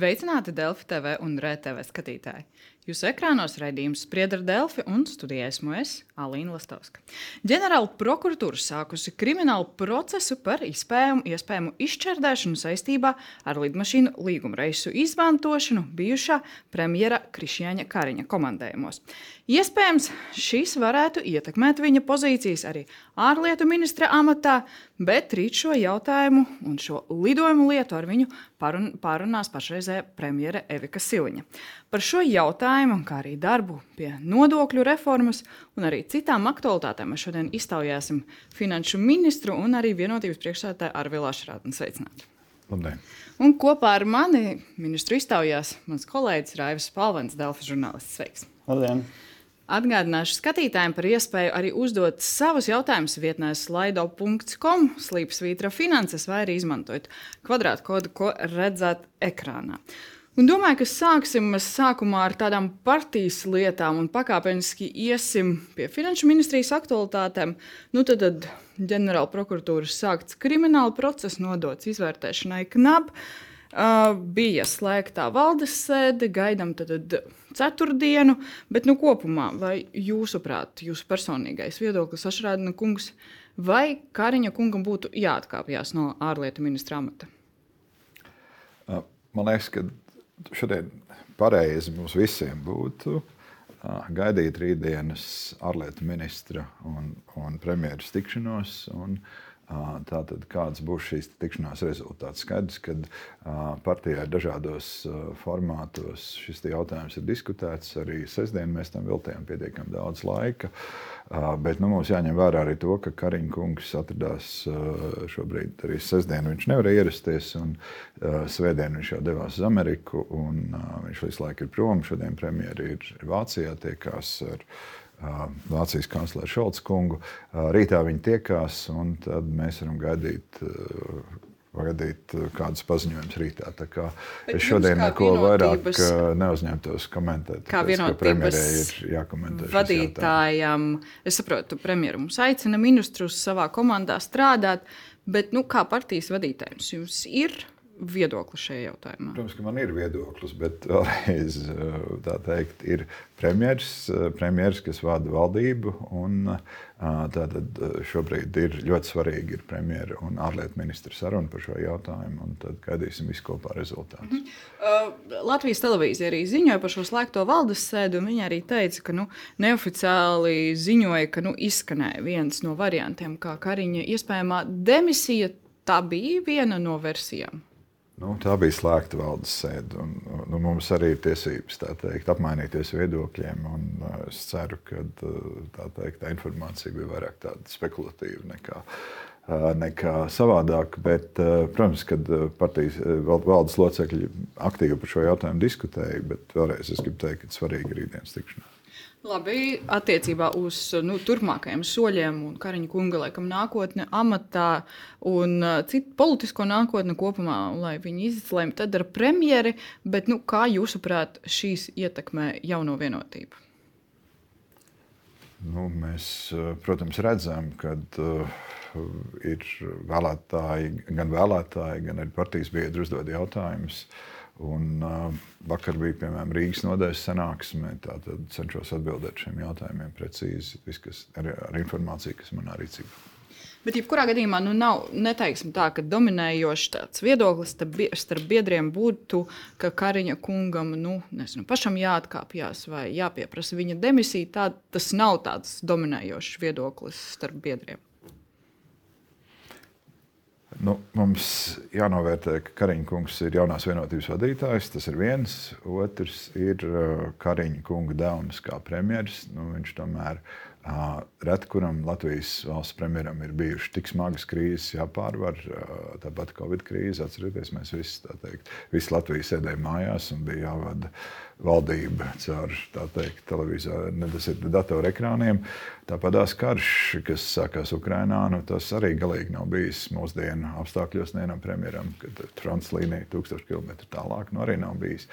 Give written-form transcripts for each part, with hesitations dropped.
Sveicināti Delfi TV un RTV skatītāji! Jūsu ekrānos raidījums Spriedra ar Delfi un studijā esmu es, Alīna Lastovska. Ģenerāla prokuratūra sākusi kriminālu procesu par iespējamu izšķērdēšanu saistībā ar lidmašīnu līgumreisu izmantošanu bijušā premjera Krišjāņa Kariņa komandējumos. Iespējams, šis varētu ietekmēt viņa pozīcijas arī ārlietu ministra amatā, bet rīt šo jautājumu un šo lidojumu lietu ar viņu pārunās pašreizējā premjere Evika Siliņa. Par šo jautājumu, kā arī darbu pie nodokļu reformas un arī citām aktualitātēm mēs šodien iztaujāsim finanšu ministru un arī vienotības priekšsēdētāju Arvilu Ašrādni. Sveicināti! Labdien! Un kopā ar mani ministru iztaujās mans kolēģis Raivis Spalvens, Delfi žurnālists. Sveiks! Labdien! Atgādināšu skatītājiem par iespēju arī uzdot savus jautājumus vietnē slido.com, slīpsvītra finanses vai arī izmantojot kvadrātkodu, ko redzat ekrānā. Un domāju, ka sāksim sākumā ar tādām partijas lietām un pakāpeniski iesim pie finanšu ministrijas aktualitātēm. Tad ģenerāla prokuratūras sākts krimināla procesa nodots izvērtēšanai KNAB. Bija slēgtā valdes sēde, gaidām tad ceturtdienu, bet kopumā, vai jūsuprāt, jūsu personīgais viedoklis, Ašrādna kungs, vai Kariņa kungam būtu jāatkāpjas no ārlietu ministra amata? Man liekas, ka šodien pareizi mums visiem būtu gaidīt rītdienas ārlietu ministra un premjeras tikšanos. Tātad, kāds būs šīs tikšanās rezultāts? Skaidrs, ka partijā dažādos formātos šis jautājums ir diskutēts. Arī sestdien mēs tam veltījām pietiekami daudz laika. Bet mums jāņem vērā arī to, ka Kariņa kungs atradās šobrīd arī sestdien. Viņš nevar ierasties, un svētdien viņš jau devās uz Ameriku, un viņš visu laiku ir prom. Šodien premjeri ir Vācijā, tiekās ar Vācijas kancleru Šolca kungu. Rītā viņi tiekās, un tad mēs varam gaidīt kādus paziņojumus rītā. Tā kā es šodien neko vairāk neuzņemtos komentēt. Kā vienotības ir jākomentē vadītājam, es saprotu, premjeru mums aicina ministrus savā komandā strādāt, bet kā partijas vadītājums jums ir viedoklis šajā jautājumā? Protams, ka man ir viedoklis, bet vēlreiz tā teikt, ir premjeras, kas vada valdību, un tātad šobrīd ir ļoti svarīgi ir premjera un ārlietu ministra saruna par šo jautājumu, un tad gaidīsim visu kopā rezultātus. Latvijas televīzija arī ziņoja par šo slēgto valdes sēdi, un viņi arī teica, ka neoficiāli ziņoja, ka izskanēja viens no variantiem, kā Kariņa iespējamā demisija. Tā bija viena no versijām. Tā bija slēgta valdes sēde, un mums arī ir tiesības apmainīties viedokļiem. Es ceru, ka tā informācija bija vairāk tāda spekulatīva nekā savādāk. Bet, protams, kad partijas valdes locekļi aktīvi par šo jautājumu diskutēja, bet vēlreiz es gribu teikt, ka svarīgi ir rītdienas tikšanās. Labi, attiecībā uz turpmākajiem soļiem un Kariņa kunga laikam nākotne amatā un citu politisko nākotni kopumā, lai viņi izlēma tad ar premjeri, bet kā jūsuprāt šīs ietekmē jauno vienotību? Mēs, protams, redzam, ka ir vēlētāji, gan arī partijas biedri uzdod jautājumus. Un vakar bija, piemēram, Rīgas nodaļas sanāksme, tātad cenšos atbildēt šiem jautājumiem precīzi, ar informāciju, kas manā rīcībā. Bet jebkurā gadījumā neteiksim tā, ka dominējošs tāds viedoklis starp biedriem būtu, ka Kariņa kungam pašam jāatkāpjas vai jāpieprasa viņa demisija. Tas nav tāds dominējošs viedoklis starp biedriem. Mums jānovērtē, ka Kariņa kungs ir jaunās vienotības vadītājs. Tas ir viens. Otrs ir Kariņa kunga devums kā premjeras. Viņš tomēr reti kuram Latvijas valsts premjeram ir bijušas tik smagas krīzes jāpārvar. Tāpat Covid krīze, atcerieties, mēs visi Latvija sēdēja mājās un bija jāvada valdība caur datoru ekrāniem. Tāpatās karš, kas sākās Ukrainā, tas arī galīgi nav bijis mūsdienu apstākļos nevienam premjeram, kad frontes līnija 1000 km tālāk arī nav bijis.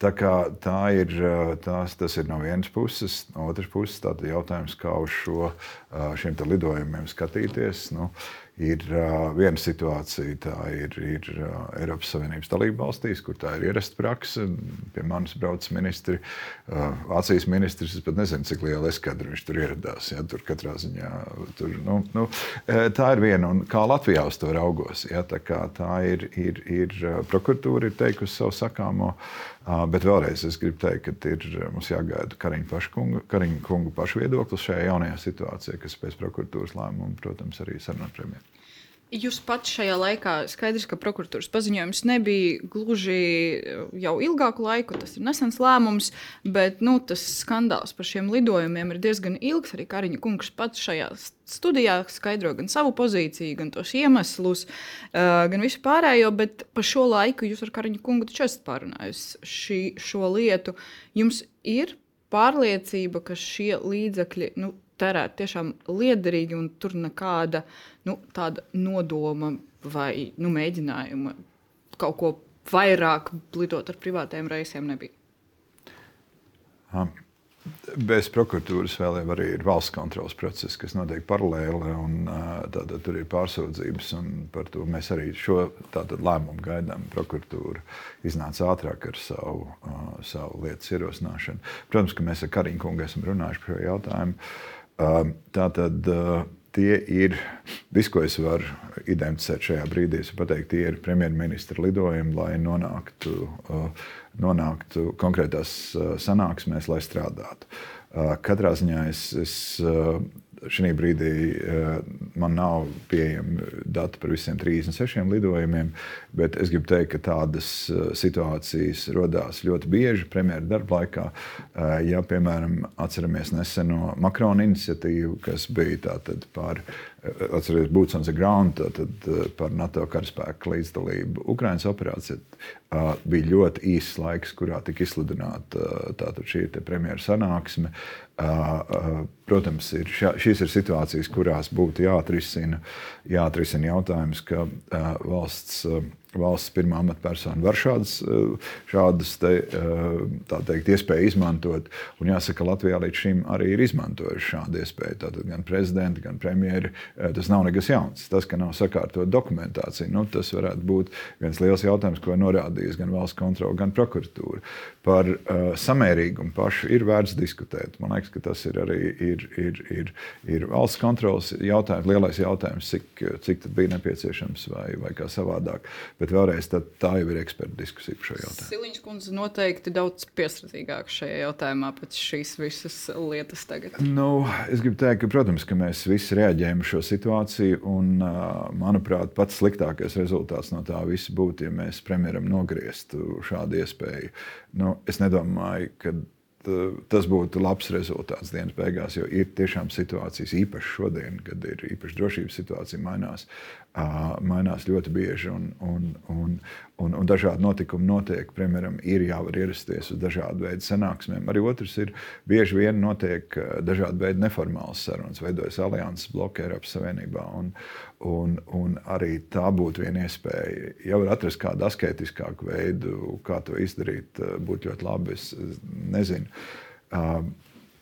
Tā kā tas ir no vienas puses, no otras puses jautājums, kā uz šiem lidojumiem skatīties. Ir viena situācija, tā ir Eiropas Savienības dalība valstīs, kur tā ir ierasta prakse. Pie manis brauc ministri, Vācijas ministrs, es pat nezinu, cik liela eskadra viņš tur ieradās. Ja, tur katrā ziņā, tā ir viena, un kā Latvijā uz to raugos. Ja, tā ir prokuratūra ir teikusi savu sakāmo, bet vēlreiz es gribu teikt, ka mums jāgaida Kariņa kunga pašu viedoklis šajā jaunajā situācijā, kas pēc prokuratūras lēmuma, protams, arī sarunā premjeru. Jūs pats šajā laikā skaidrs, ka prokuratūras paziņojums nebija gluži jau ilgāku laiku, tas ir nesens lēmums, bet tas skandāls par šiem lidojumiem ir diezgan ilgs. Arī Kariņa kungs pats šajā studijā skaidro gan savu pozīciju, gan tos iemeslus, gan visu pārējo, bet pa šo laiku jūs ar Kariņa kungu taču esat pārunājusi šo lietu. Jums ir pārliecība, ka šie līdzekļi tērēt tiešām liederīgi un tur nekāda tāda nodoma vai mēģinājuma kaut ko vairāk lidot ar privātajiem reisiem nebija? Bez prokuratūras vēl arī ir valsts kontroles process, kas notiek paralēli, un tātad tur ir pārsūdzības, un par to mēs arī šo lēmumu gaidām. Prokuratūra iznāca ātrāk ar savu lietas ierosināšanu. Protams, ka mēs ar Kariņu kungu esam runājuši par šo jautājumu. Tātad tie ir, viss, ko es varu identificēt šajā brīdī, es pateikt, tie ir premjerministra lidojumi, lai nonāktu konkrētās sanāksmēs, lai strādātu. Katrā ziņā šī brīdī man nav pieejami dati par visiem 36 lidojumiem, bet es gribu teikt, ka tādas situācijas rodās ļoti bieži premjera darba laikā. Ja, piemēram, atceramies neseno Makrona iniciatīvu, kas bija tātad atceries Boots on the ground, tātad par NATO karaspēku līdzdalību Ukrainas operācijā, bija ļoti īss laiks, kurā tika izsludināta tātad šī premjera sanāksme. Protams, šīs ir situācijas, kurās būtu jāatrisina jautājums, ka valsts pirmā amatpersona var šādas iespēju izmantot. Un jāsaka, Latvijā līdz šim arī ir izmantojuši šādu iespēju. Tātad gan prezidenti, gan premjeri. Tas nav nekas jauns. Tas, ka nav sakārtot dokumentāciju, tas varētu būt viens liels jautājums, ko norādījis gan valsts kontrole, gan prokuratūra. Par samērīgumu pašu ir vērts diskutēt. Man liekas, ka tas ir arī ir valsts kontroles jautājums, lielais jautājums, cik tad bija nepieciešams vai kā savādāk. Bet vēlreiz tā jau ir eksperta diskusija par šo jautājumu. Siliņas kundze noteikti daudz piesardzīgāk šajā jautājumā pēc šīs visas lietas tagad. Es gribu teikt, ka, protams, ka mēs visi reaģējam uz šo situāciju, un, manuprāt, pats sliktākais rezultāts no tā visa būtu, ja mēs premjeram nogrieztu šādu iespēju. Es nedomāju, ka tas būtu labs rezultāts dienas beigās, jo ir tiešām situācijas, īpaši šodien, kad ir īpaši drošības situācija mainās ļoti bieži un dažādi notikumi notiek. Premjeram ir jāvar ierasties uz dažādu veidu sanāksmēm. Arī otrs ir, bieži vien notiek dažādi veidi neformāls sarunas, veidojas alianses bloki Eiropas Savienībā, un arī tā būtu viena iespēja. Ja var atrast kādu asketiskāku veidu, kā to izdarīt, būtu ļoti labi, es nezinu.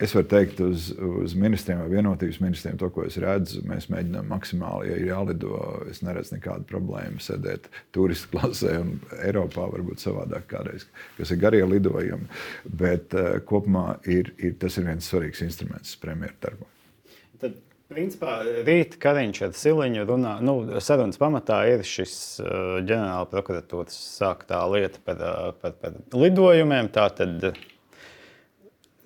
Es varu teikt uz ministriem vai vienotības ministriem to, ko es redzu. Mēs mēģinām maksimāli, ja ir jālido, es neredzu nekādu problēmu sēdēt turistu klasē, un Eiropā varbūt savādāk kādreiz, kas ir garie lidojumi. Bet kopumā tas ir viens svarīgs instruments premjera darbā. Tad, principā, rīt Kariņš ar Siliņu runā, sarunas pamatā ir šis ģenerāla prokuratūras sāktā lieta par lidojumiem, tātad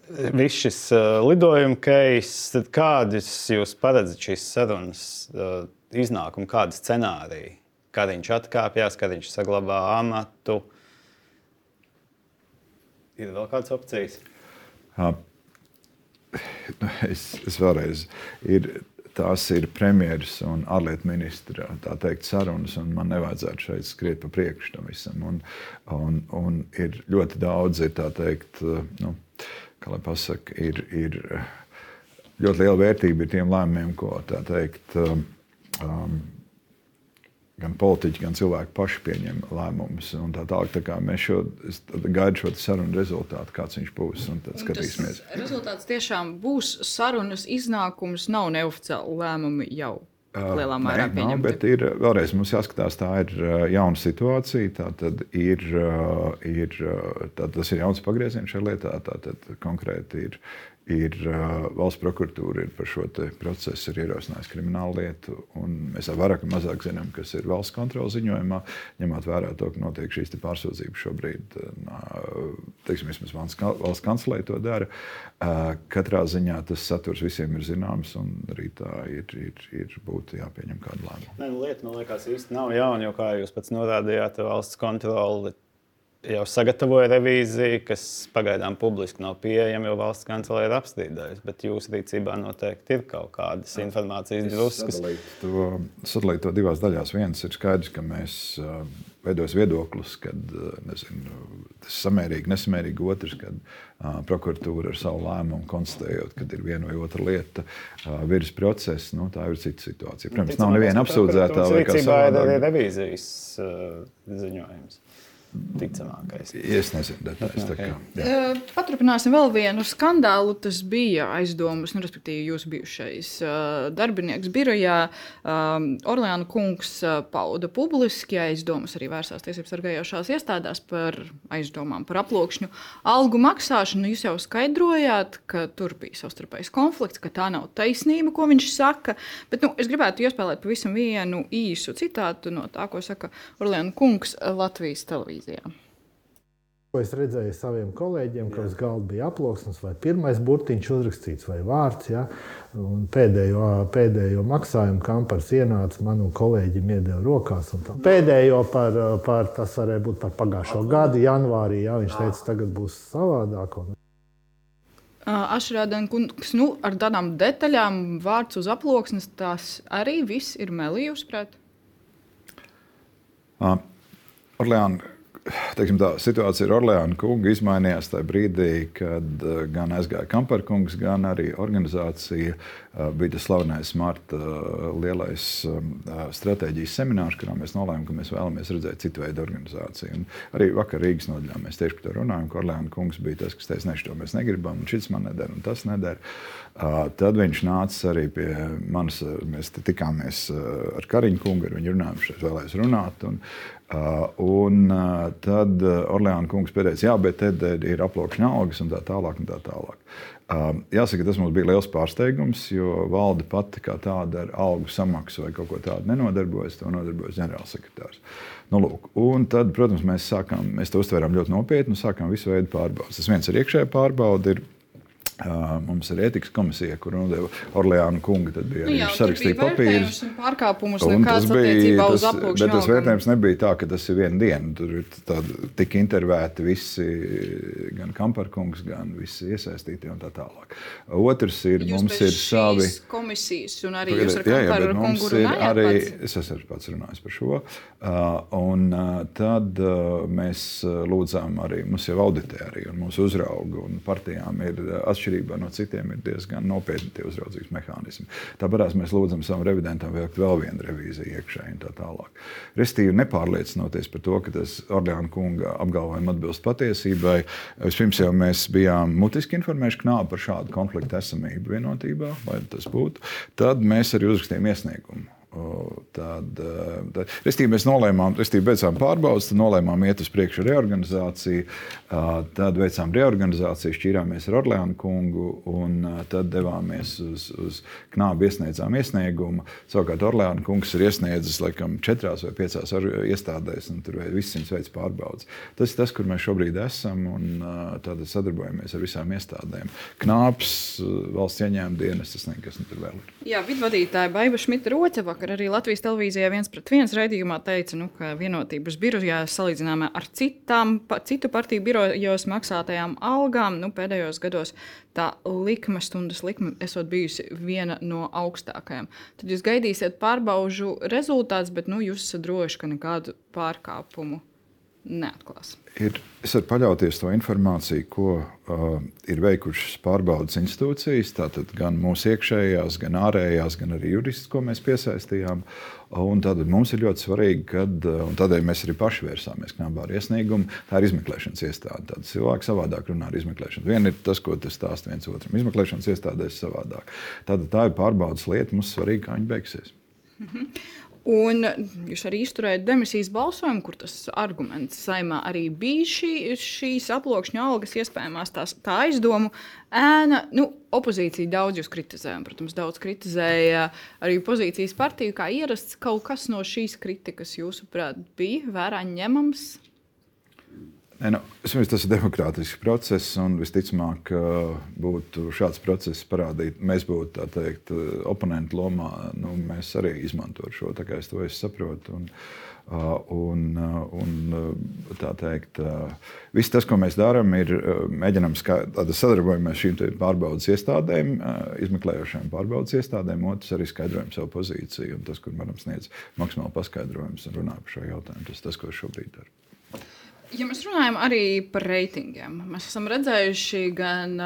viss šis lidojuma case, tad kādas jūs paredzat šīs sarunas iznākumu, kādi scenāriji? Kariņš atkāpjās, Kariņš saglabā amatu. Ir vēl kādas opcijas? Es vēlreiz, tās ir premjeras un ārlietu ministra, tā teikt, sarunas, un man nevajadzētu šeit skriet pa priekšu tam visam. Un ir ļoti daudz, tā teikt, kā lai pasaka, ir ļoti liela vērtība ir tiem lēmumiem, ko, tā teikt, gan politiķi, gan cilvēki paši pieņem lēmumus. Un tā tālāk, tā kā es gaidu šo sarunu rezultātu, kāds viņš būs, un tad skatīsimies. Tas rezultāts tiešām būs sarunas iznākums, nav neoficiāli lēmumi jau lielā mērā pieņemti. Bet ir vēlreiz mums jāskatās, tā ir jauna situācija. Tātad tas ir jauns pagrieziens šajā lietā. Tātad konkrēti ir valsts prokuratūra par šo procesu ir ierosinājusi kriminālu lietu. Mēs vairāk vai mazāk zinām, kas ir valsts kontroles ziņojumā, ņemot vērā to, ka notiek šīs pārsūdzības šobrīd. Vismaz valsts kancelē to dara. Katrā ziņā tas saturs visiem ir zināms, un arī tā būtu jāpieņem kādu lēmumu. Lieta, man liekas, īsti nav jauna, jo, kā jūs pats norādījāt, valsts kontrole jau sagatavoja revīziju, kas pagaidām publiski nav pieejama, jo valsts kancelē ir apstrīdējusi. Bet jūsu rīcībā noteikti ir kaut kādas informācijas druskas. Sadalīt to divās daļās. Viens ir skaidrs, ka mēs veidos viedoklis, kad tas samērīgi, nesamērīgi. Otrs, kad prokuratūra ar savu lēmumu konstatējot, kad ir viena vai otra lieta virs procesa, tā ir cita situācija. Protams, nav neviena apsūdzētā vai kā savādāk. Arī revīzijas ziņojums. Ticamākais. Es nezinu detaļas. Paturpināsim vēl vienu skandālu. Tas bija aizdomas, respektīvi jūsu bijušais darbinieks birojā. Orleāna kungs pauda publiski aizdomas, arī vērsās tiesības sargājošās iestādēs par aizdomām par aploksņu algu maksāšanu. Jūs jau skaidrojāt, ka tur bija savstarpējs konflikts, ka tā nav taisnība, ko viņš saka. Bet es gribētu iespēlēt pavisam vienu īsu citātu no tā, ko saka Orleāna kungs Latvijas televīzijā. Ko es redzēju saviem kolēģiem, ka uz galda bija aploksnes vai pirmais burtiņš uzrakstīts vai vārds. Ja? Un pēdējo maksājumu kampars ienāca man un kolēģim iedeva rokās. Pēdējo par tas varēja būt par pagājušo gadu, janvārī. Ja? Viņš teica, tagad būs savādāk. Ašrādēn kungs, ar tādām detaļām vārds uz aploksnes, tās arī viss ir meli, jūsuprāt? Orleāna. Tā situācija ar Orleāna kungu izmainījās tajā brīdī, kad gan aizgāja Kamparkungs, gan arī organizācija bija tas slavenais marta lielais stratēģijas seminārs, kurā mēs nolēmām, ka mēs vēlamies redzēt citu veidu organizāciju. Un arī vakar Rīgas nodaļā mēs tieši par to runājam, ka Orleāna kungs bija tas, kas teica, to mēs negribam, un šis man nedara, un tas nedara. Tad viņš nāca arī pie manis, mēs tikāmies ar Kariņu kungu, ar viņu runājām, šeit vēlēs runāt, un tad Orleāna kungs pateica, jā, bet tad ir aploksņa algas un tā tālāk. Jāsaka, tas mums bija liels pārsteigums, jo valde pati kā tāda ar algu samaksu vai kaut ko tādu nenodarbojas, to nodarbojas ģenerālsekretārs. Un tad, protams, mēs to uztvērām ļoti nopietni un sākām visu veidu pārbaudas. Tas viens ir iekšējā pārbauda, mums ir ētikas komisija, kur nodeva Orleāna kunga, tad bija arī sarakstīja papīrus. Pārkāpumus nekāds attiecībā uz aploksņu bet tas vērtējums nebija tā, ka tas ir viena diena. Tur ir tik intervēti visi, gan Kamparkungs, gan visi iesaistīti un tā tālāk. Otrs ir, mums ir savi... Jūs komisijas un arī jūs ar Kamparkungu runājāt pats? Es esmu pats runājis par šo. Un tad mēs lūdzām arī, mums jau auditē arī, un mūsu uzrauga un partijām ir atšķirībā no citiem ir diezgan nopietni tie uzraudzības mehānismi. Tāpēc mēs lūdzam savam revidentam veikt vēl vienu revīziju iekšēji un tā tālāk. Restīvi nepārliecinoties par to, ka tas Orleāna kunga apgalvojumi atbilst patiesībai. Vispirms jau mēs bijām mutiski informējuši Knābu par šādu konfliktu esamību vienotībā, lai tas būtu. Tad mēs arī uzrakstījām iesniegumu. Restīvi mēs nolēmām, beidzām pārbaudas, tad nolēmām iet uz priekšu reorganizāciju, tad veicām reorganizāciju, šķīrāmies ar Orleāna kungu un tad devāmies uz Knābu, iesniedzām iesniegumu. Savukārt Orleāna kungs ir iesniedzis laikam 4 vai 5 iestādēs un tur viss 100 veids pārbaudas. Tas ir tas, kur mēs šobrīd esam un tad sadarbojamies ar visām iestādēm. Knābs, valsts ieņēmuma dienas, tas nekas tur vēl ir. Jā, vidvadītāja Baiva Šmita-Roce vakar arī Latvijas televīzijā 1pret 1 raidījumā teica, ka vienotības birojā salīdzinājumā ar citu partiju birojos maksātajām algām, pēdējos gados tā stundas likme esot bijusi viena no augstākajām. Tad jūs gaidīsiet pārbaužu rezultātus, bet jūs esat droši, ka nekādu pārkāpumu neatklās. Es varu paļauties to informāciju, ko ir veikušas pārbaudas institūcijas, tātad gan mūsu iekšējās, gan ārējās, gan arī juristus, ko mēs piesaistījām. Un tātad mums ir ļoti svarīgi, un tādēļ mēs arī paši vērsāmies Knābā ar iesniegumu, tā ir izmeklēšanas iestāde. Tātad cilvēki savādāk runā ar izmeklēšanu. Viena ir tas, ko tas stāsta viens otram. Izmeklēšanas iestādēs savādāk. Tātad tā ir pārbaudas lieta, mums svarīgi, kā viņa beigsies. Un jūs arī izturējāt demisijas balsojumu, kur tas arguments saimā arī bija šīs aploksņa algas, iespējamās tā aizdomu ēna. Opozīcija daudz jūs kritizēja, protams, daudz kritizēja arī pozīcijas partiju, kā ierasts. Kaut kas no šīs kritikas, jūsuprāt, bija vērā ņemams? Tas ir demokrātisks process, un visticamāk, būtu šāds process parādīt, mēs būtu, tā teikt, oponentu lomā, mēs arī izmantotu šo, tā kā es to saprotu. Tā teikt, viss tas, ko mēs darām, ir mēģinām sadarbojamies šīm pārbaudas iestādēm, izmeklējošiem pārbaudas iestādēm, otrs arī skaidrojam savu pozīciju, un tas, kur varam sniedz maksimāli paskaidrojums un runā par šo jautājumu, tas, ko šobrīd daru. Ja mēs runājam arī par reitingiem, mēs esam redzējuši gan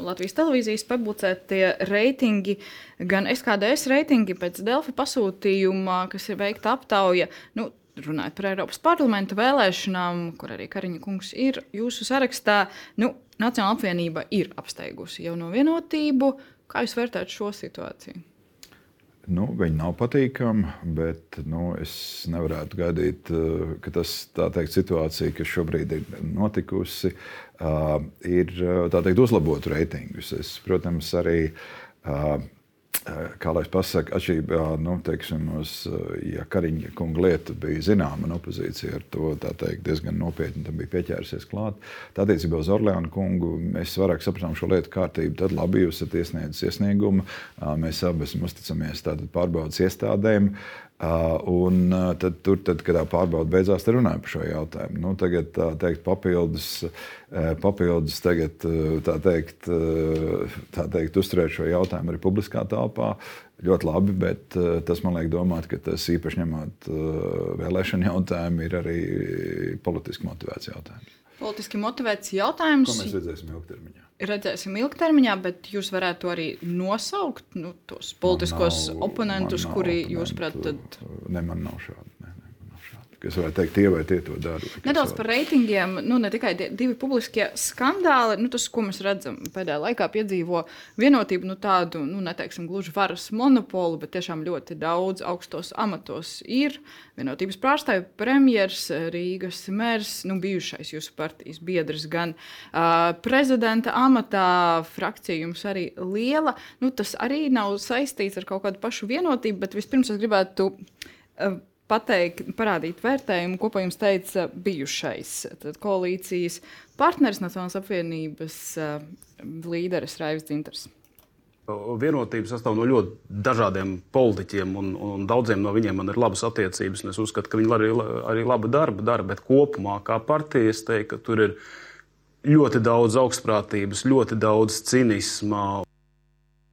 Latvijas televīzijas publicētie reitingi, gan SKDS reitingi pēc Delfi pasūtījuma, kas ir veikta aptauja. Runājot par Eiropas parlamenta vēlēšanām, kur arī Kariņa kungs ir jūsu sarakstā, Nacionāla apvienība ir apsteigusi Jauno Vienotību. Kā jūs vērtējat šo situāciju? Viņi nav patīkami, bet es nevarētu gaidīt, ka tas, tā teikt, situācija, kas šobrīd ir notikusi, ir, tā teikt, uzlabotu reitingus. Es, protams, arī, kā lai es pasaku, atšķirībā, teiksim, ja Kariņa kunga lieta bija zināma un opozīcija ar to, tā teikt, diezgan nopietni tam bija pieķērusies klāt. Tā attiecībā uz Orleānu kungu mēs vairāk sapratām šo lietu kārtību. Tad labi, jūs esat iesniedzis iesniegumu, mēs abi esam uzticamies tātad pārbaudas iestādēm. Un tad, kad tā pārbauda beidzās, tad runāja par šo jautājumu. Tagad tā teikt, papildus tagad, tā teikt, uzturēt šo jautājumu arī publiskā telpā. Ļoti labi, bet tas man liek domāt, ka tas īpaši ņemot vēlēšanu jautājumu ir arī politiski motivēts jautājums. Politiski motivēts jautājums. Ko mēs redzēsim ilgtermiņā? Redzēsim ilgtermiņā, bet jūs varētu arī nosaukt tos politiskos oponentus, kuri jūs prāt tad... Man nav šādi. Es varētu teikt, tie vai tie to dara. Nedaudz par reitingiem, ne tikai divi publiskie skandāli, tas, ko mēs redzam pēdējā laikā piedzīvo Vienotību, tādu, neteiksim gluži varas monopolu, bet tiešām ļoti daudz augstos amatos ir Vienotības pārstāvju premjers, Rīgas mērs, bijušais jūsu partijas biedrs, gan prezidenta amatā, frakcija jums arī liela. Tas arī nav saistīts ar kaut kādu pašu Vienotību, bet vispirms es gribētu parādīt vērtējumu, ko pa jums teica bijušais koalīcijas partneris, Nacionālās apvienības līderis Raivis Dzintars. Vienotība sastāv no ļoti dažādiem politiķiem, un daudziem no viņiem man ir labas attiecības. Es uzskatu, ka viņi arī labu darbu dara, bet kopumā kā partija es teiktu, ka tur ir ļoti daudz augstprātības, ļoti daudz cinisma.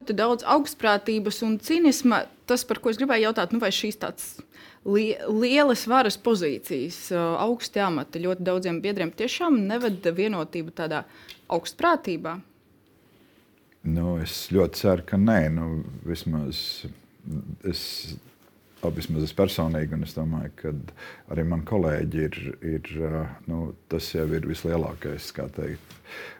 Daudz augstprātības un cinisma, tas, par ko es gribēju jautāt, vai šīs tāds lielas varas pozīcijas, augsti amati ļoti daudziem biedriem tiešām neveda Vienotību tādā augstprātībā? Es ļoti ceru, ka nē. Vismaz es personīgi, un es domāju, ka arī mani kolēģi ir tas jau ir vislielākais, kā teikt,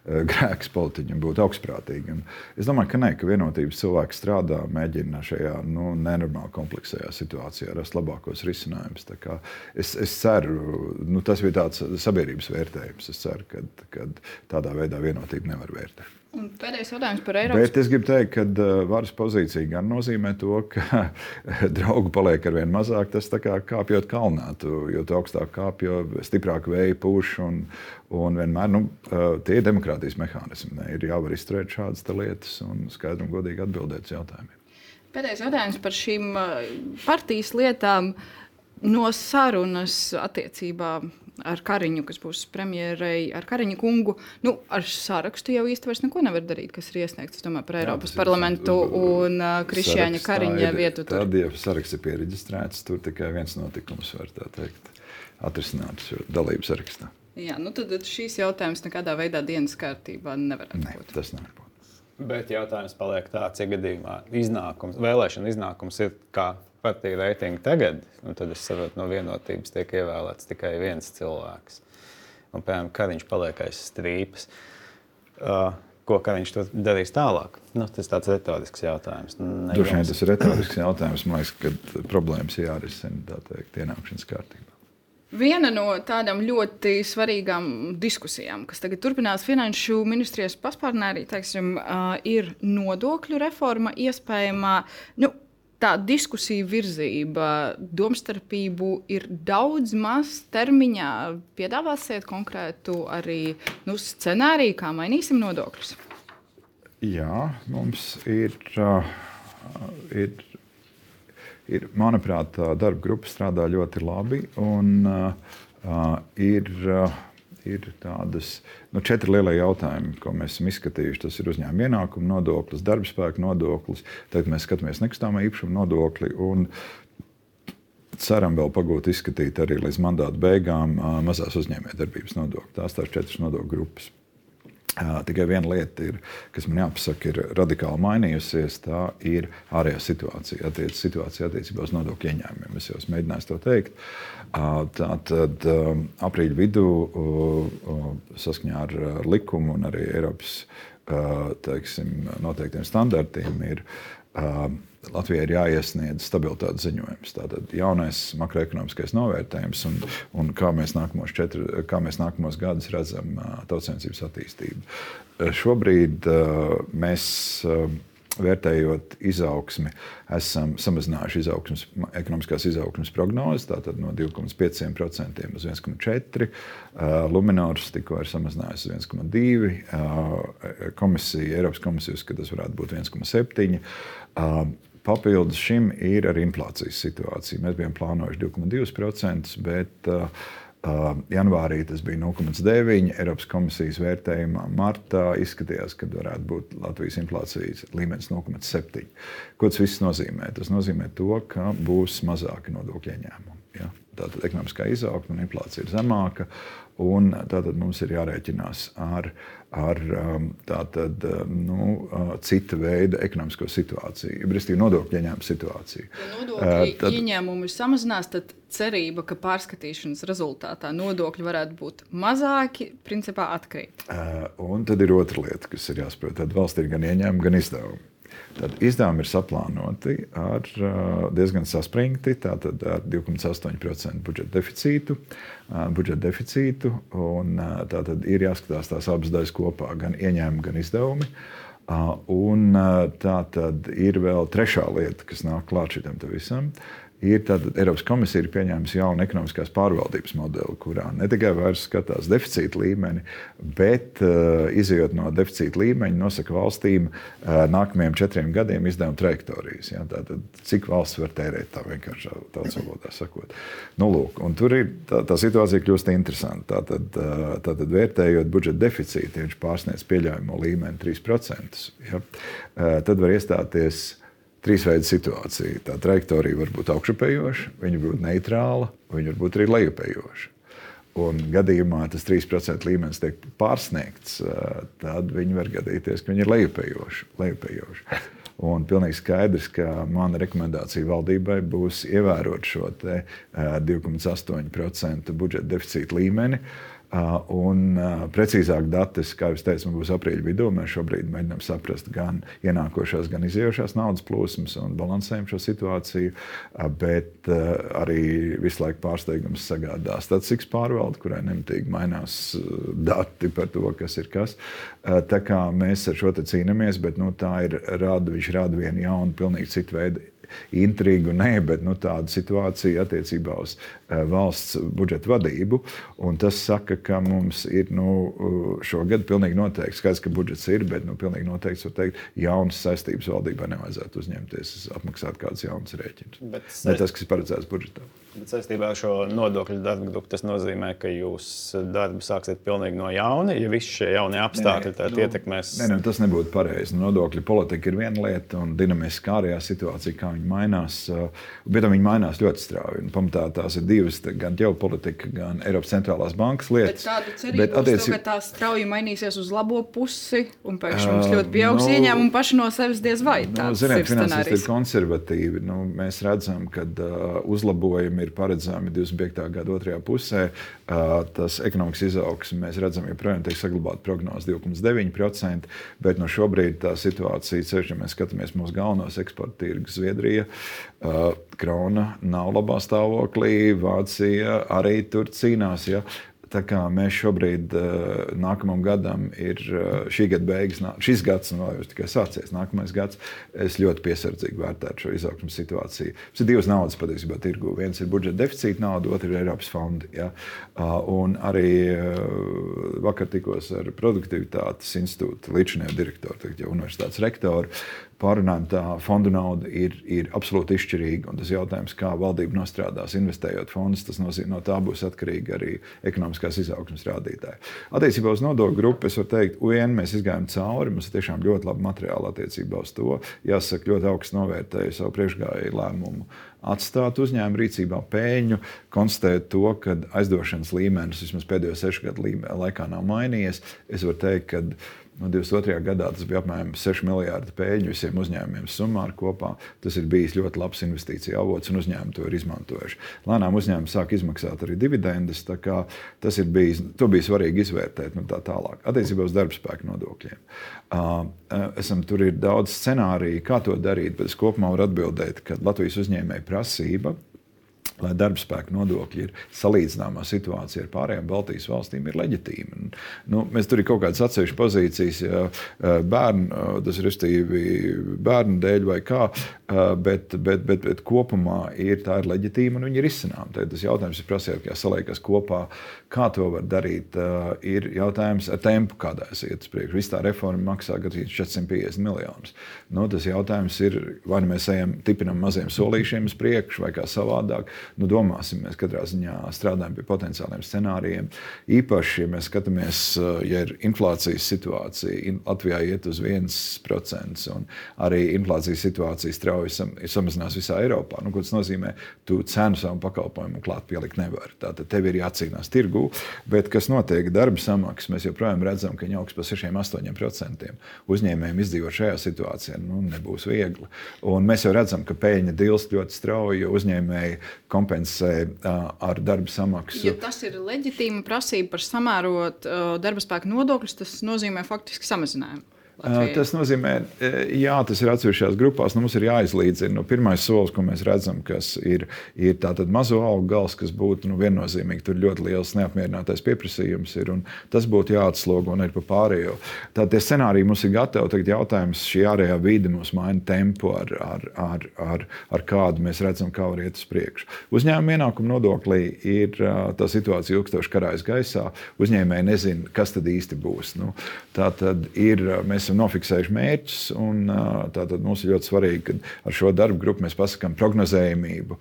grēks politiķiem būt augstprātīgi. Un es domāju, ka nē, ka Vienotības cilvēki strādā, mēģina šajā nenormāli kompleksajā situācijā rast labākos risinājumus. Es ceru, tas bija tāds sabiedrības vērtējums. Es ceru, ka tādā veidā Vienotība nevar vērtēt. Un pēdējais jautājums par Eiropas. Bet es gribu teikt, ka varas pozīcija gan nozīmē to, ka draugu paliek ar vien mazāk. Tas tā kā kāpjot kalnā, jo tu augstāk kāp, jo stiprāk vēja pūš. Un vienmēr tie ir demokrātijas mehānismi. Ir jāvar izturēt šādas lietas un skaidri un godīgi atbildēt uz jautājumiem. Pēdējais jautājums par šīm partijas lietām no sarunas attiecībā ar Kariņu, kas būs premjerei, ar Kariņa kungu. Ar sarakstu jau īsti vairs neko nevar darīt, kas ir iesniegts, domāju, par Eiropas parlamentu un Krišjāņa Kariņa vietu. Tad, ja saraksts ir piereģistrēts, tur tikai viens notikums var, tā teikt, atrisināt šo dalību sarakstā. Jā, tad šīs jautājums nekādā veidā dienas kārtībā nevarētu būt. Nē, tas nevar būt. Bet jautājums paliek tāds, ja gadījumā vēlēšana iznākums ir kā partija reitingi tagad, tad es saprotu, no Vienotības tiek ievēlēts tikai viens cilvēks. Un, piemēram, Kariņš paliek aiz strīpas. ko Kariņš tur darīs tālāk? Tas tāds retorisks jautājums. Droši vien tas ir retorisks jautājums. Man liekas, ka problēmas jārisina, tā teikt, ienākšanas kārtībā. Viena no tādām ļoti svarīgām diskusijām, kas tagad turpinās Finanšu ministrijas paspārnē, arī ir nodokļu reforma iespējamā. Tā diskusija virzība, domstarpību ir daudz maz termiņā. Piedāvāsiet konkrētu arī scenāriju, kā mainīsim nodokļus? Jā, mums ir manuprāt, darba grupa strādā ļoti labi. Un, ir tādas 4 lielie jautājumi, ko mēs esam izskatījuši. Tas ir uzņēmuma ienākuma nodoklis, darba spēka nodoklis, tad mēs skatāmies nekustamā īpašuma nodokli un ceram vēl pagūt izskatīt arī līdz mandāta beigām mazās uzņēmējdarbības nodokli. Tās 4 nodokļu grupas. Tikai viena lieta, kas man jāpasaka, ir radikāli mainījusies. Tā ir ārējā situācija, situācija attiecībā uz nodokļu ieņēmumiem. Es jau mēģināju to teikt. Tātad aprīļa vidū saskaņā ar likumu un arī Eiropas noteiktiem standartiem ir Latvijai ir jāiesniedz stabilitātes ziņojums. Tātad jaunais makroekonomiskais novērtējums un kā mēs nākamos gadus redzam tautsaimniecības attīstību. Šobrīd mēs, vērtējot izaugsmi, esam samazinājuši ekonomiskās izaugsmes prognozes, tātad no 2,5% uz 1,4%. Luminors tikko ir samazinājusi uz 1,2%. Eiropas komisija uzskata, ka tas varētu būt 1,7%. Papildus šim ir arī inflācijas situācija. Mēs bijām plānojuši 2,2%, bet janvārī tas bija 0,9%. Eiropas komisijas vērtējumā martā izskatījās, ka varētu būt Latvijas inflācijas līmenis 0,7%. Ko tas viss nozīmē? Tas nozīmē to, ka būs mazāki nodokļu ieņēmumi. Ja? Tātad ekonomiskā izaugsme un inflācija ir zemāka, un tātad mums ir jārēķinās ar cita veida ekonomisko situāciju, respektīvi nodokļu ieņēmumu situāciju. Ja nodokļu ieņēmumi samazinās, tad cerība, ka pārskatīšanas rezultātā nodokļi varētu būt mazāki, principā atkrīt. Un tad ir otra lieta, kas ir jāsaprot. Tad valsts ir gan ieņēmumi, gan izdevumi. Tad izdevumi ir saplānoti diezgan saspringti, tātad ar 2,8% budžeta deficītu, un tātad ir jāskatās tās abas daļas kopā, gan ieņēmumi, gan izdevumi. Un tātad ir vēl trešā lieta, kas nāk klāt šitam te visam. Eiropas komisija ir pieņēmusi jaunu ekonomiskās pārvaldības modeli, kurā ne tikai vairs skatās deficīta līmeni, bet izejot no deficīta līmeņa, nosaka valstīm nākamajiem 4 gadiem izdevuma trajektorijas. Ja? Tātad, cik valsts var tērēt, tā vienkārši tautas valodā sakot. Lūk, un tur ir tā situācija kļūst interesanta. Tātad vērtējot budžeta deficītu, ja viņš pārsniedz pieļaujamo līmeni 3%, ja? Tad var iestāties 3 veidu situācija. Tā trajektorija var būt augšupējoša, viņa var būt neitrāla, viņa var būt arī lejupējoša. Un gadījumā tas 3% līmenis tiek pārsniegts, tad viņi var gadīties, ka viņi ir lejupējoši. Un pilnīgi skaidrs, ka mana rekomendācija valdībai būs ievērot šo 2,8% budžeta deficīta līmeni. Un precīzāk dati, kā jūs teicat, būs aprīļa vidū. Mēs šobrīd mēģinām saprast gan ienākošās, gan izējošās naudas plūsmas un balansējam šo situāciju, bet arī visu laiku pārsteigums sagādā statistikas pārvalde, kurai nemitīgi mainās dati par to, kas ir kas. Tā kā mēs ar šo te cīnāmies, bet viņš rada vienu jaunu, pilnīgi citu veidu intrigu, bet tāda situācija attiecībā uz valsts budžeta vadību. Un tas saka, ka mums ir šogad pilnīgi noteikti, skaidrs, ka budžets ir, bet pilnīgi noteikti, var teikt, jaunas saistības valdībā nevajadzētu uzņemties, apmaksāt kādus jaunus rēķinus. Ne tas, kas ir paredzēts budžetā. Bet saistībā ar šo nodokļu darba grupu tas nozīmē, ka jūs darbu sāksiet pilnīgi no jauna, ja visi šie jaunie apstākļi ietekmēs. Tas nebūtu pareizi. Nodokļu politika ir viena lieta un dinamiskā ārējā situācija, kā viņi mainās, bet viņi mainās ļoti strauji. Pamatā tās ir divas, gan ģeopolitika, gan Eiropas centrālās bankas lietas. Bet tāda cerība uz to, ka tā strauji mainīsies uz labo pusi un pēkšņi mums ļoti pieaugs ieņēmumi paši no sevis diez vai. Ziniet, finansisti ir konservatīvi. Mēs redzam, ka uzlabojumi ir ir paredzami 25. gada otrajā pusē. Tas ekonomikas izaugsme mēs redzam, joprojām tiek saglabāta prognoze 2,9%, bet no šobrīd tā situācija, ceļš, ja mēs skatāmies mūsu galvenos eksporta tirgus, Zviedrija, krona nav labā stāvoklī, Vācija arī tur cīnās. Ja? Tā kā mēs šobrīd nākamam gadam ir šī gada beigas, šis gads vēl jau tikai sācies, nākamais gads, es ļoti piesardzīgi vērtētu šo izaugsmes situāciju. Tas ir divas naudas patiesībā tirgu. Viens ir budžeta deficīta nauda, otrs ir Eiropas fondi. Ja? Un arī vakar tikos ar Produktivitātes institūta līdzinējo direktoru, tagad jau universitātes rektoru, pārunājam, tā fondu nauda ir absolūti izšķirīga. Un tas jautājums, kā valdība nostrādās, investējot fondus, tas nozīmē, no tā būs atkarīgi arī ekonomiskās izaugsmes rādītāji. Attiecībā uz nodokļu grupu es varu teikt, mēs izgājām cauri, mums ir tiešām ļoti labi materiāli attiecībā uz to. Jāsaka, ļoti augstu novērtēju savu priekšgājēju lēmumu atstāt uzņēmumu rīcībā peļņu, konstatēt to, ka aizdošanas līmenis vismaz pēdējo 6 gadu laikā nav mainījies. Es varu teikt, ka 22. gadā tas bija apmēram 6 miljārdi peļņu visiem uzņēmumiem summāri kopā. Tas ir bijis ļoti labs investīcija avots un uzņēmumi to ir izmantojuši. Lēnām uzņēmumi sāk izmaksāt arī dividendes, tā kā tas ir bijis, to bija svarīgi izvērtēt tā tālāk. Attiecībā uz darbspēku nodokļiem. Tur ir daudz scenāriju, kā to darīt, bet es kopumā varu atbildēt, ka Latvijas uzņēmēju prasība, lai darbspēka nodokļi ir salīdzināmā situācija ar pārējām Baltijas valstīm, ir leģitīma. Mēs tur ir kaut kādas atsevišķas pozīcijas, tas ir bērnu dēļ vai kā, bet kopumā tā ir leģitīma un viņi ir izcinām. Tad tas jautājums ir prasīt, kā saliekas kopā, kā to var darīt, ir jautājums ar tempu, kādā es iet uz priekšu. Viss tā reforma maksā gandrīz 450 miljonus. Tas jautājums ir, vai mēs tipinam maziem solīšiem uz priekšu vai kā savādāk. Domāsim, mēs katrā ziņā strādājam pie potenciāliem scenārijiem. Īpaši, ja mēs skatāmies, ja ir inflācijas situācija, Latvijā iet uz 1%, un arī inflācijas situācija strauji samazinās visā Eiropā. Ko tas nozīmē? Tu cenu savu pakalpojumu klāt pielikt nevar. Tātad tev ir jācīnās tirgū, bet kas notiek darba samaksas, mēs joprojām redzam, ka viņi augs par 6–8%. Uzņēmējiem izdzīvot šajā situācijā nebūs viegli. Un mēs jau redzam, ka peļņa dilst ļoti strauji, jo uzņēmēji kompensē ar darba samaksu. Ja tas ir leģitīma prasība par samērot darba spēka nodokļus, tas nozīmē faktiski samazinājumu. Latvijai. Tas nozīmē, jā, tas ir atsevišķās grupās. Mums ir jāizlīdzina. Pirmais solis, ko mēs redzam, kas ir tātad mazo algu gals, kas būtu viennozīmīgi. Tur ļoti liels neapmierinātais pieprasījums ir, un tas būtu jāatslogo un ir pa pārējo. Tātad tie scenāriji mums ir gatavi. Tagad jautājums, šī ārējā vide mums maina tempu, ar kādu mēs redzam, kā var iet uz priekšu. Uzņēmuma ienākuma nodoklī ir tā situācija ilgstoši karājas gaisā. Uzņēmēji nezina, kas tad īsti būs. Tātad mēs esam nofiksējuši mērķus, un tātad mums ir ļoti svarīgi, ka ar šo darbu grupu mēs pasakām prognozējumību,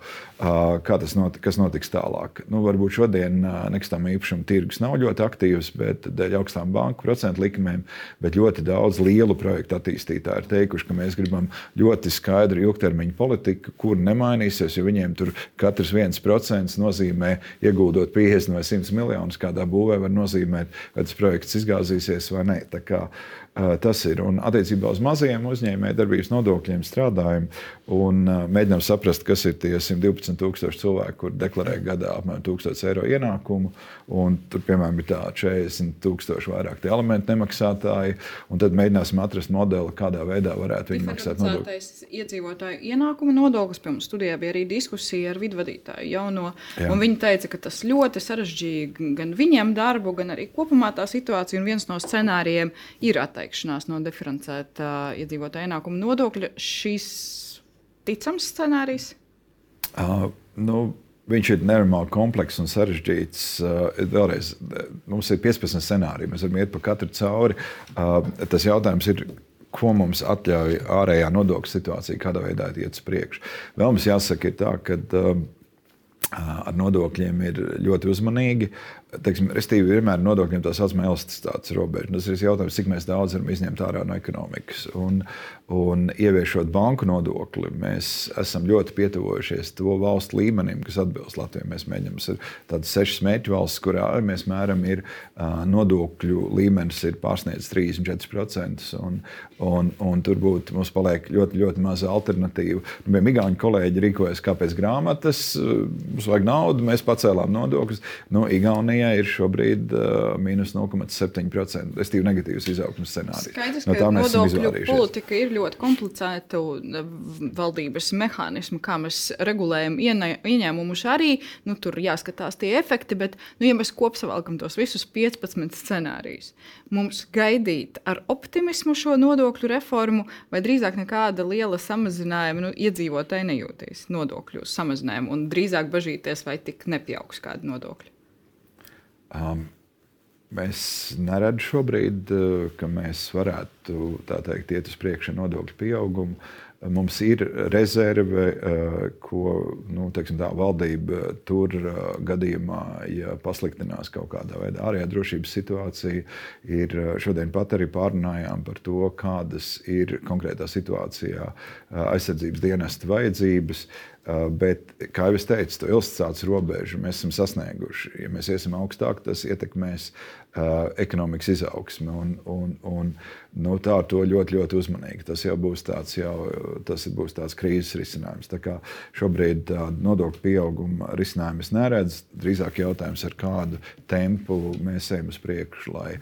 kas notiks tālāk. Varbūt šodien nekustamā īpašuma tirgus nav ļoti aktīvs, bet dēļ augstām banku procentu likmēm, bet ļoti daudz lielu projektu attīstītāji ir teikuši, ka mēs gribam ļoti skaidru ilgtermiņu politiku, kur nemainīsies, jo viņiem tur katrs 1% nozīmē ieguldot 50 vai 100 miljonus kādā būvē var nozīmēt, vai tas projekts izgāzīsies vai ne. Tā kā tas ir. Un attiecībā uz mazajiem uzņēmējdarbības nodokļiem strādājam un mēģinām saprast, kas ir tie 112,000 cilvēki, kur deklarē gadā apmēram 1,000 eiro ienākumu. Un tur, piemēram, ir tā 40,000 vairāk tie alimentu nemaksātāji. Un tad mēģināsim atrast modeli, kādā veidā varētu viņi maksāt nodokļus. Iedzīvotāju ienākuma nodoklis, pie mums studijā bija arī diskusija ar vidvadītāju jauno. Jā. Un viņi teica, ka tas ļoti sarežģīja gan viņiem darbu, gan arī kopumā tā situācija. Un viens no scenārijiem ir atteikšanās no diferencēta iedzīvotāju ienākuma nodokļa. Šis ticams scenārijs? Viņš ir nenormāli komplekss un sarežģīts. Vēlreiz, mums ir 15 scenāriji, mēs varam iet pa katru cauri. Tas jautājums ir, ko mums atļauj ārējā nodokļu situācija, kādā veidā iet uz priekšu. Vēl mums jāsaka ir tā, ka ar nodokļiem ir ļoti uzmanīgi. Restīvi vienmēr nodokļiem tā saucamā elasticitātes robeža. Tas ir jautājums, cik mēs daudz varam izņemt ārā no ekonomikas. Un ieviešot banku nodokli, mēs esam ļoti pietuvojušies to valstu līmenim, kas atbilst Latvijai. Mēs mēģinām tādas 6 mērķu valsts, kurā mēs mēram ir nodokļu līmenis ir pārsniedz 34%. Un tur mums paliek ļoti, ļoti maza alternatīva. Igauņu kolēģi rīkojas kā pēc grāmatas, mums vajag naudu, mēs pacēlām nodokļus. Igaunijā ir šobrīd mīnus 0,7%. Restīvi negatīvs izaugsmes scenārijs. Skaidrs, ka nodokļu politika ir ļoti komplicēta valdības mehānismu, kā mēs regulējam ieņēmumus arī. Tur jāskatās tie efekti, bet, ja mēs kopsavalkam tos visus 15 scenārijus, mums gaidīt ar optimismu šo nodokļu reformu vai drīzāk nekāda liela samazinājuma iedzīvotāji nejūtīs nodokļu samazinājumu un drīzāk bažīties, vai tik nepieaugs kādi nodokļi? Mēs neredzam šobrīd, ka mēs varētu iet uz priekšu nodokļu pieaugumu. Mums ir rezerve, ko valdība tur gadījumā, ja pasliktinās kaut kādā veidā ārējā drošības situācija. Šodien pat arī pārunājām par to, kādas ir konkrētā situācijā aizsardzības dienesta vajadzības. Bet, kā jau es teicu, to elasticitātes robežu mēs esam sasnieguši. Ja mēs iesim augstāk, tas ietekmēs ekonomikas izaugsmi. Tā ar to ļoti, ļoti uzmanīgi. Tas jau būs tāds krīzes risinājums. Tā kā šobrīd nodokļu pieauguma risinājumu es neredzu. Drīzāk jautājums, ar kādu tempu mēs ejam uz priekšu, lai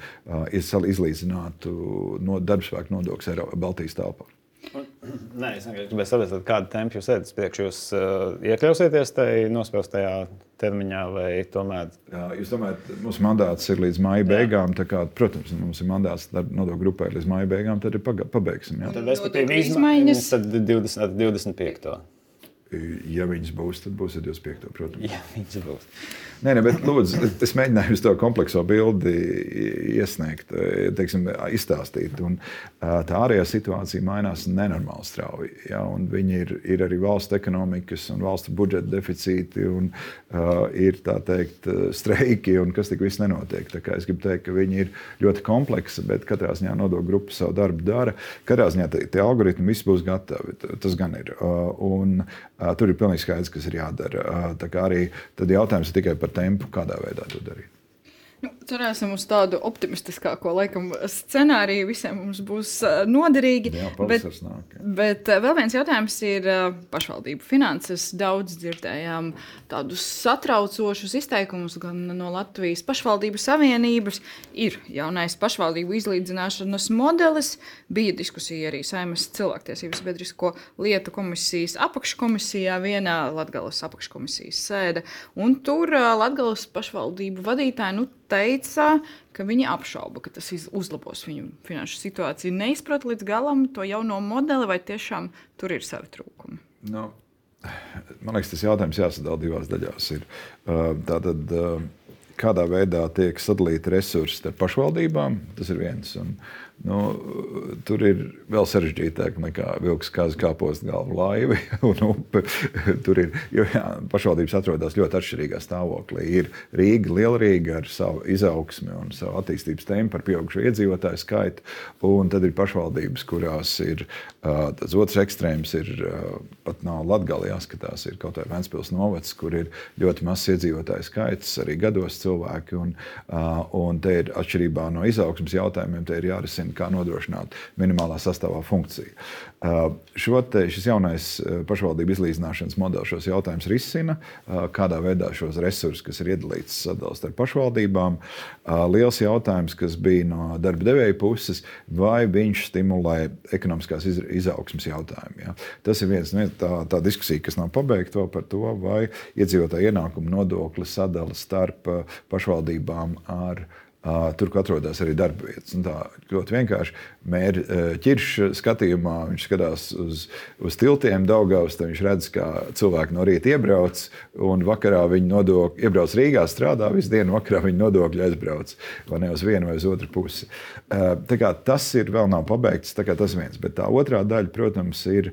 izlīdzinātu darbspēka nodokļus Baltijas telpā. Nē, es vienkārši gribēju saprast, kādu tempu jūs ejat uz priekšu. Jūs iekļausieties tajā nospraustajā termiņā vai tomēr? Jūs domājat, mūsu mandāts ir līdz māja beigām. Protams, mums ir mandāts nodokļu grupai līdz māja beigām, tad pabeigsim. Jā. Tad respektīvi izmaiņas tad 25. Ja viņas būs, tad būs 25. protams. Ja viņas būs. Nē, bet lūdzu, es mēģināju to komplekso bildi iesniegt, izstāstīt. Un tā ārējā situācija mainās nenormāli strauji. Ja? Un viņi ir arī valsts ekonomikas un valsts budžeta deficīti un ir streiki un kas tik viss nenotiek. Tā kā es gribu teikt, ka viņi ir ļoti kompleksi, bet katrā ziņā nodokļu grupa savu darbu dara. Katrā ziņā tie algoritmi viss būs gatavi. Tas gan ir. Tur ir pilnīgi skaidrs, kas ir jādara. Tā kā arī tad jautājums ir tikai par tempu, kādā veidā to darīt. Cerēsim uz tādu optimistiskāko scenāriju. Visiem mums būs noderīgi. Jā, pavasaris nāk. Bet vēl viens jautājums ir pašvaldību finanses. Daudz dzirdējām tādus satraucošus izteikumus gan no Latvijas pašvaldību savienības. Ir jaunais pašvaldību izlīdzināšanas modelis. Bija diskusija arī Saeimas cilvēktiesības sabiedrisko lietu komisijas apakškomisijā, vienā Latgales apakškomisijas sēde. Un tur Latgales pašvaldību vadītāji teica, ka viņi apšauba, ka tas uzlabos viņu finanšu situāciju. Neizprat līdz galam to jauno modeli, vai tiešām tur ir savi trūkumi? Man liekas, tas jautājums jāsadala divās daļās. Tātad, kādā veidā tiek sadalīti resursi starp pašvaldībām, tas ir viens. Tur ir vēl sarežģītāk nekā vilks kāpost galvu laivi un upe. Tur ir, pašvaldības atrodas ļoti atšķirīgā stāvoklī. Ir Rīga, Lielrīga ar savu izaugsmi un savu attīstības tempu ar pieaugušo iedzīvotāju skaitu. Un tad ir pašvaldības, kurās ir tas otrs ekstrēms, pat nav Latgale jāskatās, ir kaut vai Ventspils novads, kur ir ļoti mazs iedzīvotāju skaits, arī gados cilvēki. Un te ir atšķirībā no izaugsmes jautājumiem, te ir jārisina, kā nodrošināt minimālā sastāvā funkciju. Šis jaunais pašvaldību izlīdzināšanas modelis šos jautājumus risina, kādā veidā šos resursus, kas ir iedalīts sadalīt starp pašvaldībām. Liels jautājums, kas bija no darba devēja puses, vai viņš stimulē ekonomiskās izaugsmes jautājumu. Ja? Tas ir viens tā diskusija, kas nav pabeigta vēl par to, vai iedzīvotāju ienākumu nodokli sadala starp pašvaldībām ar tur, kur atrodas arī darba vietas. Un tā ļoti vienkārši mēra ķirša skatījumā, viņš skatās uz tiltiem Daugavas, tad viņš redz, kā cilvēki no rīta iebrauc, un vakarā viņi iebrauc Rīgā, strādā visu dienu, vakarā viņi nodokļi aizbrauc, vai ne uz vienu vai uz otru pusi. Tā kā tas vēl nav pabeigts, tā kā tas viens. Bet tā otrā daļa, protams, ir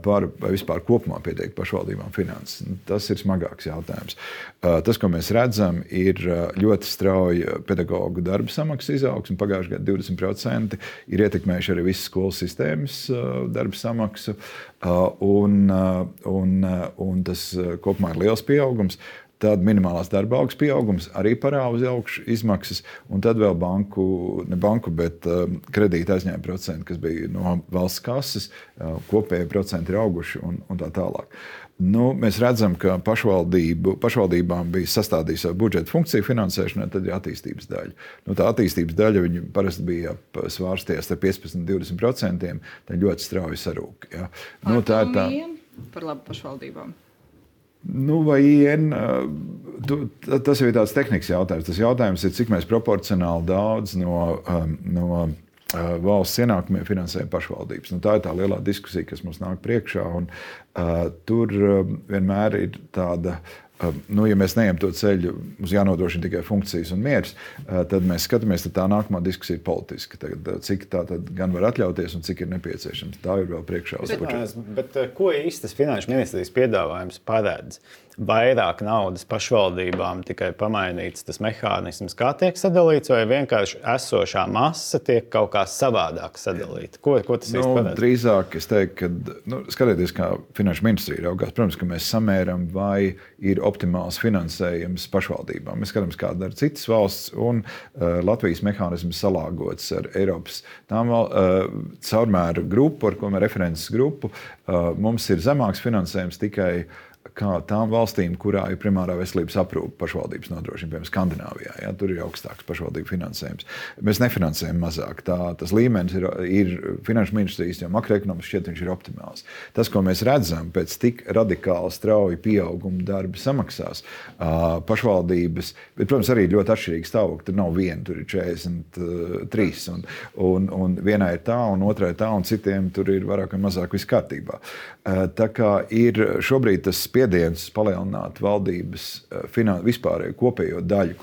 par vispār kopumā pieteikt pašvaldībām finanses. Tas ir smagāks jautājums. Tas, ko mēs redzam, ir ļoti strauja pedagoģu darba samaksas izaugsme. Pagājušajā gadā 20% ir ietekmējuši arī visas skolas sistēmas darba samaksu. Un tas kopumā ir liels pieaugums. Tad minimālās darba algas pieaugums arī parāda uz augšu izmaksas, un tad vēl bet kredīta aizņēmuma procenti, kas bija no valsts kases, kopējie procenti ir auguši un tā tālāk. Mēs redzam, ka pašvaldībām bija sastādījusi savu budžeta funkciju finansēšanai, tad ir attīstības daļa. Tā attīstības daļa parasti bija svārsties ar 15–20%, tad ļoti strauji sarūk. Ja. Tā ir tā par labu pašvaldībām. Vai IN, tas jau ir tāds tehnisks jautājums. Tas jautājums ir, cik mēs proporcionāli daudz no valsts ienākumiem finansējam pašvaldības. Tā ir tā lielā diskusija, kas mums nāk priekšā. Tur vienmēr ir tāda, ja mēs neejam to ceļu, mums jānodrošina tikai funkcijas un miers, tad mēs skatāmies, tad tā nākamā diskusija ir politiska. Cik tā tad gan var atļauties un cik ir nepieciešams. Tā ir vēl priekšā uz budžetu. Bet ko īsti tas Finanšu ministrijas piedāvājums paredz? Vairāk naudas pašvaldībām, tikai pamainīts tas mehānisms, kā tiek sadalīts, vai vienkārši esošā masa tiek kaut kā savādāk sadalīta? Ko tas īsti paredz? Drīzāk es teiktu, ka skatieties, kā Finanšu ministrija raugās. Protams, ka mēs samēram, vai ir optimāls finansējums pašvaldībām. Mēs skatāmies, kā dara citas valsts, un Latvijas mehānisms salāgots ar Eiropas caurmēru grupu, ar ko mēs references grupu. Mums ir zemāks finansējums tikai kā tām valstīm, kurā ir primārā veselības aprūpe pašvaldības nodrošina, piemēram, Skandināvijā. Ja, tur ir augstāks pašvaldību finansējums. Mēs nefinansējam mazāk. Tas līmenis ir Finanšu ministrijas, jo makroekonomiski šķiet viņš ir optimāls. Tas, ko mēs redzam pēc tik radikāli strauji pieauguma darba samaksās, pašvaldības, bet, protams, arī ļoti atšķirīgi stāvokļi. Tur nav viena, tur ir 43, un vienā ir tā, un otrā ir tā, un citiem tur ir vairāk vai mazāk viss kārtībā. Tā kā ir šobrīd tas spiediens palielināt valdības vispārējo kopējo daļu,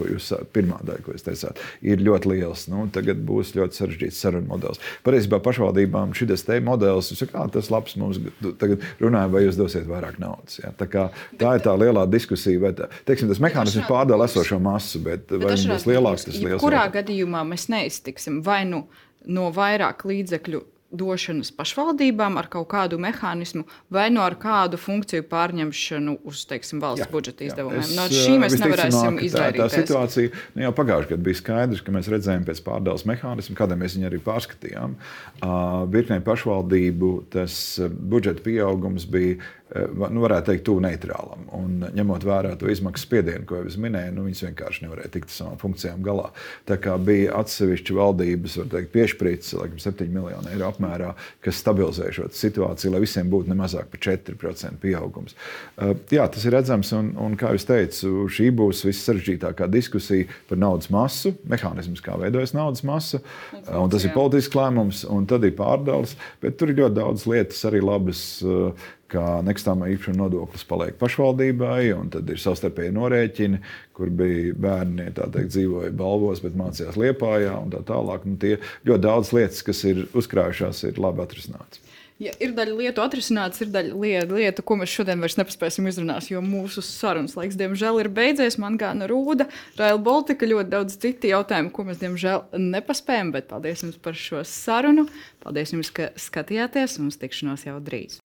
pirmā daļa, ko jūs teicāt, ir ļoti liels. Tagad būs ļoti sarežģīts sarunu modelis. Patiesībā pašvaldībām šis modelis, tas labs, mums tagad runājam, vai jūs dosiet vairāk naudas. Ja? Tā ir tā lielā diskusija, vai tas mehānisms pārdala esošo masu, bet vai viņš būs lielāks, tas liels. Kurā gadījumā mēs neiztiksim vai no vairāk līdzekļu došanas pašvaldībām ar kaut kādu mehānismu vai ar kādu funkciju pārņemšanu uz, valsts budžeta izdevumiem. No šī mēs nevarēsim izvairīties. Tā situācija jau pagājušajā gadā bija skaidrs, ka mēs redzējām pēc pārdales mehānismu, kādēļ mēs viņu arī pārskatījām. Virknē pašvaldību tas budžeta pieaugums bija, varētu teikt, tuvu neitrālam. Un ņemot vērā to izmaksu spiedienu, ko jau es minēju, viņas vienkārši nevarēja tikt ar savām funkcijām galā. Tā kā bija atsevišķi valdības, piešprīts, 7 miljonu eiro apmērā, kas stabilizēja šo situāciju, lai visiem būtu nemazāk par 4% pieaugums. Jā, tas ir redzams, un kā jūs teicu, šī būs vissarežģītākā diskusija par naudas masu, mehānisms, kā veidojas naudas masa, un tas ir politisks lēmums, un tad ir pārdales, bet tur ir ļoti daudz lietas arī labas, kā nekustamā īpašuma nodoklis paliek pašvaldībai, un tad ir savstarpēji norēķini, kur bija bērni, dzīvoja Balvos, bet mācījās Liepājā un tā tālāk. Tie ļoti daudz lietas, kas ir uzkrājušās, ir labi atrisināts. Ja ir daļa lietu atrisināts, ir daļa lietu, ko mēs šodien vairs nepaspēsim izrunāt, jo mūsu sarunas laiks, diemžēl, ir beidzies. Man gāna Rūda, Rail Baltica, ļoti daudz citu jautājumu, ko mēs, diemžēl, nepaspējam, bet paldies jums par šo sarunu. Paldies jums, ka skatījāties, un uz tikšanos jau drīz.